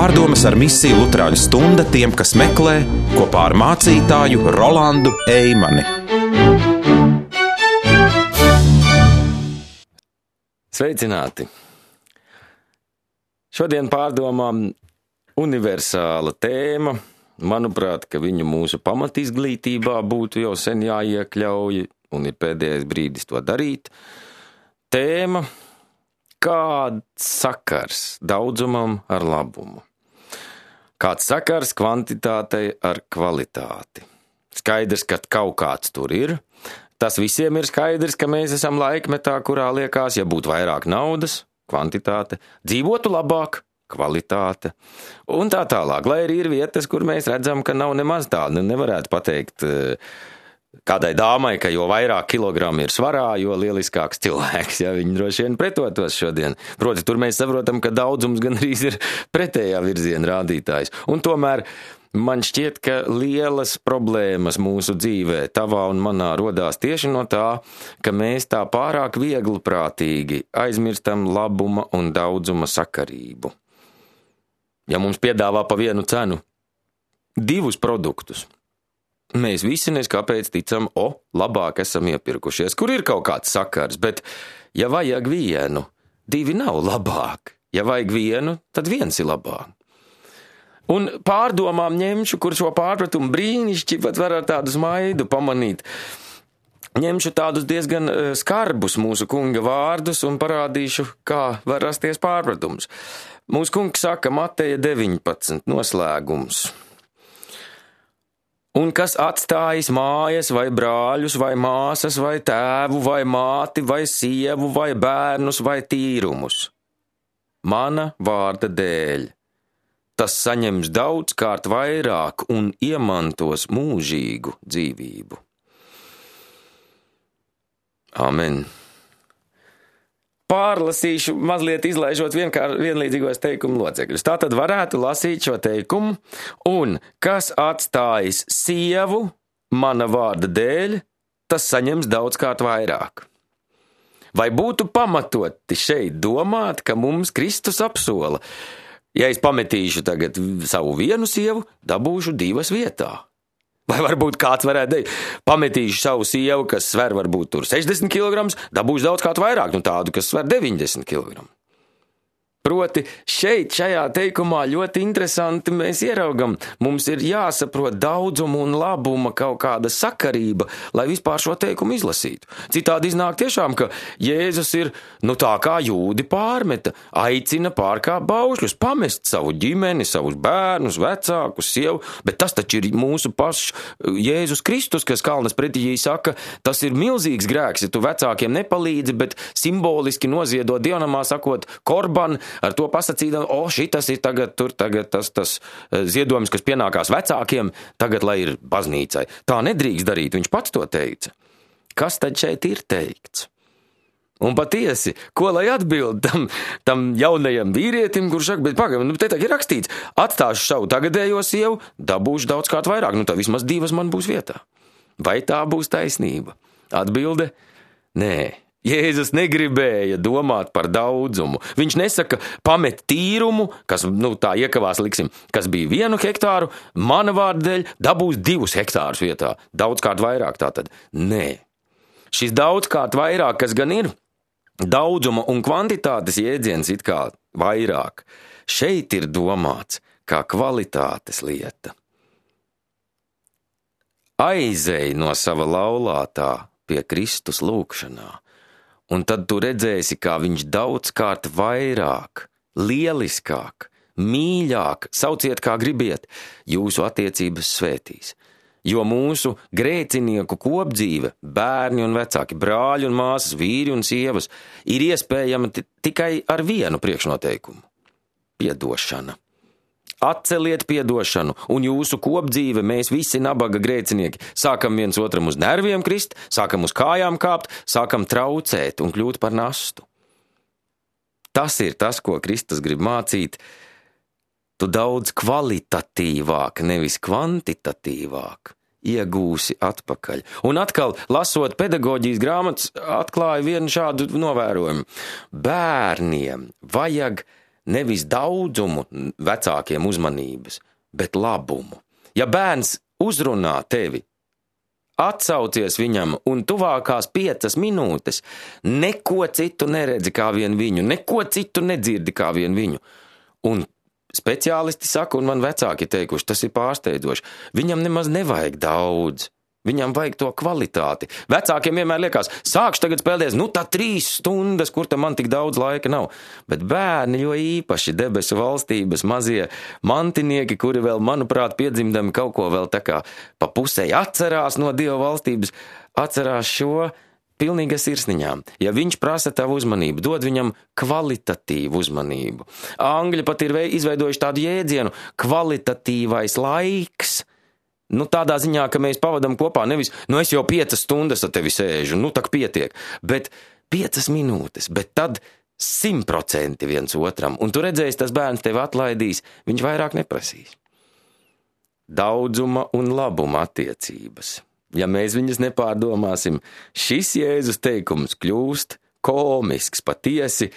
Pārdomas ar misiju Luterāņu stunda tiem, kas meklē, kopā ar mācītāju Rolandu Eimani. Sveicināti! Šodien pārdomām universāla tēma. Manuprāt, ka viņu mūsu pamatizglītībā būtu jau sen jāiekļauj, un ir pēdējais brīdis to darīt. Tēma: kāds sakars daudzumam ar labumu? Kāds sakars kvantitātei ar kvalitāti? Skaidrs, ka kaut kāds tur ir. Tas visiem ir skaidrs, ka mēs esam laikmetā, kurā liekas, ja būtu vairāk naudas, kvantitāte, dzīvotu labāk, kvalitāte, un tā tālāk. Lai arī ir vietas, kur mēs redzam, ka nav nemaz tāda. Nevarētu pateikt kādai dāmai, ka jo vairāk kilogramu ir svarā, jo lieliskāks cilvēks, ja viņi droši vien pretotos šodien. Proti, tur mēs saprotam, ka daudzums gan arī ir pretējā virziena rādītājs. Un tomēr man šķiet, ka lielas problēmas mūsu dzīvē, tavā un manā, rodās tieši no tā, ka mēs tā pārāk viegliprātīgi aizmirstam labuma un daudzuma sakarību. Ja mums piedāvā pa vienu cenu 2 produktus, mēs visi neskāpēc ticam, labāk esam iepirkušies, kur ir kaut kāds sakars, bet ja vajag vienu, 2 nav labāk. Ja vajag vienu, tad 1 ir labāk. Un pārdomām ņemšu, kur šo pārpratumu brīnišķi pat var ar tādu smaidu pamanīt. Ņemšu tādus diezgan skarbus mūsu kunga vārdus un parādīšu, kā var rasties pārpratums. Mūsu kungs saka Mateja 19 noslēgums. Un kas atstājis mājas vai brāļus vai māsas vai tēvu vai māti vai sievu vai bērnus vai tīrumus mana vārda dēļ, tas saņems daudzkārt vairāk un iemantos mūžīgu dzīvību. Amen. Pārlasīšu, mazliet izlaižot vienlīdzīgos teikumu locekļus. Tātad varētu lasīt šo teikumu, un kas atstājis sievu mana vārda dēļ, tas saņems daudzkārt vairāk. Vai būtu pamatoti šeit domāt, ka mums Kristus apsola: ja es pametīšu tagad savu vienu sievu, dabūšu 2 vietā? Vai varbūt kāds varētu teikt, pametīšu savu sievu, kas sver varbūt tur 60 kg, dabūšu daudz kādu vairāk, tādu, kas sver 90 kg. Proti, šeit, šajā teikumā ļoti interesanti mēs ieraugam, mums ir jāsaprot daudzumu un labuma kaut kāda sakarība, lai vispār šo teikumu izlasītu. Citādi iznāk tiešām, ka Jēzus ir, tā kā jūdi pārmeta, aicina pārkāpt baušļus, pamest savu ģimeni, savus bērnus, vecākus, sievu, bet tas taču ir mūsu pašs Jēzus Kristus, kas kalnas pretī saka, tas ir milzīgs grēks, ja tu vecākiem nepalīdzi, bet simboliski noziedo dievnamā sakot korban, ar to pasacīdam, šitas ir tagad tas ziedojums, kas pienākās vecākiem, tagad lai ir baznīcai. Tā nedrīkst darīt, viņš pats to teica. Kas tad šeit ir teikts? Un patiesi, ko lai atbild tam jaunajam vīrietim, kurš saka, bet pagaidām, te tā ir rakstīts, atstāšu savu tagadējo sievu, dabūšu daudzkārt vairāk, tā vismaz 2 man būs vietā. Vai tā būs taisnība? Atbilde: nē. Jēzus negribēja domāt par daudzumu. Viņš nesaka, pamet tīrumu, kas, tā iekavās liksim, kas bija 1 hektāru, mana vārda dēļ dabūs 2 hektārus vietā. Daudzkārt vairāk tātad. Nē. Šis daudzkārt vairāk, kas gan ir daudzuma un kvantitātes jēdziens it kā vairāk, šeit ir domāts kā kvalitātes lieta. Aizej no sava laulātā pie Kristus lūgšanā. Un tad tu redzēsi, kā viņš daudzkārt vairāk, lieliskāk, mīļāk, sauciet kā gribiet, jūsu attiecības svētīs. Jo mūsu grēcinieku kopdzīve, bērni un vecāki, brāļi un māsas, vīri un sievas, ir iespējama tikai ar vienu priekšnoteikumu – piedošana. Atceliet piedošanu, un jūsu kopdzīve, mēs visi nabaga grēcinieki, sākam viens otram uz nerviem krist, sākam uz kājām kāpt, sākam traucēt un kļūt par nastu. Tas ir tas, ko Kristus grib mācīt. Tu daudz kvalitatīvāk, nevis kvantitatīvāk iegūsi atpakaļ. Un atkal, lasot pedagoģijas grāmatas, atklāju vienu šādu novērojumu. Bērniem vajag nevis daudzumu vecākiem uzmanības, bet labumu. Ja bērns uzrunā tevi, atsaucies viņam un tuvākās 5 minūtes neko citu neredzi kā vien viņu, neko citu nedzirdi kā vien viņu. Un speciālisti saka, un man vecāki teikuši, tas ir pārsteidzoši, viņam nemaz nevajag daudz. Viņam vajag to kvalitāti. Vecākiem vienmēr liekas, sākšu tagad spēlēties, tā 3 stundas, kur tam man tik daudz laika nav. Bet bērni, jo īpaši debesu valstības mazie mantinieki, kuri vēl, manuprāt, piedzimdami kaut ko vēl tā kā pa pusei atcerās no Dieva valstības, atcerās šo pilnīgi sirsniņām. Ja viņš prasa tavu uzmanību, dod viņam kvalitatīvu uzmanību. Angļi pat ir izveidojuši tādu jēdzienu kvalitatīvais laiks. Tādā ziņā, ka mēs pavadam kopā nevis, es jau 5 stundas ar tevi sēžu, tak pietiek, bet 5 minūtes, bet tad 100% viens otram, un tu redzēsi, tas bērns tevi atlaidīs, viņš vairāk neprasīs. Daudzuma un labuma attiecības. Ja mēs viņas nepārdomāsim, šis Jēzus teikums kļūst komisks, patiesi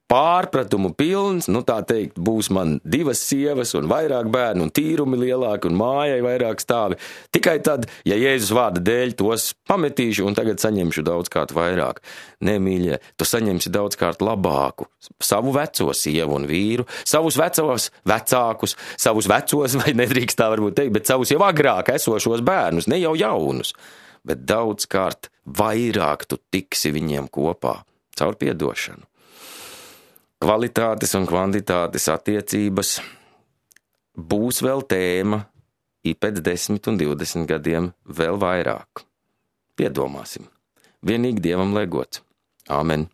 pārpratumu pilns, tā teikt, būs man 2 sievas un vairāk bērnu un tīrumi lielāki un mājai vairāk stāvi. Tikai tad, ja Jēzus vārda dēļ tos pametīšu un tagad saņemšu daudzkārt vairāk. Nē, mīļie, tu saņemsi daudzkārt labāku savu veco sievu un vīru, savus vecos vecākus, savus vecos, vai nedrīkst tā varbūt teikt, bet savus jau agrāk esošos bērnus, ne jau jaunus, bet daudzkārt vairāk tu tiksi viņiem kopā caur piedošanu. Kvalitātes un kvantitātes attiecības būs vēl tēma pēc 10 un 20 gadiem vēl vairāk. Piedomāsim. Vienīgi Dievam lai gods. Āmen.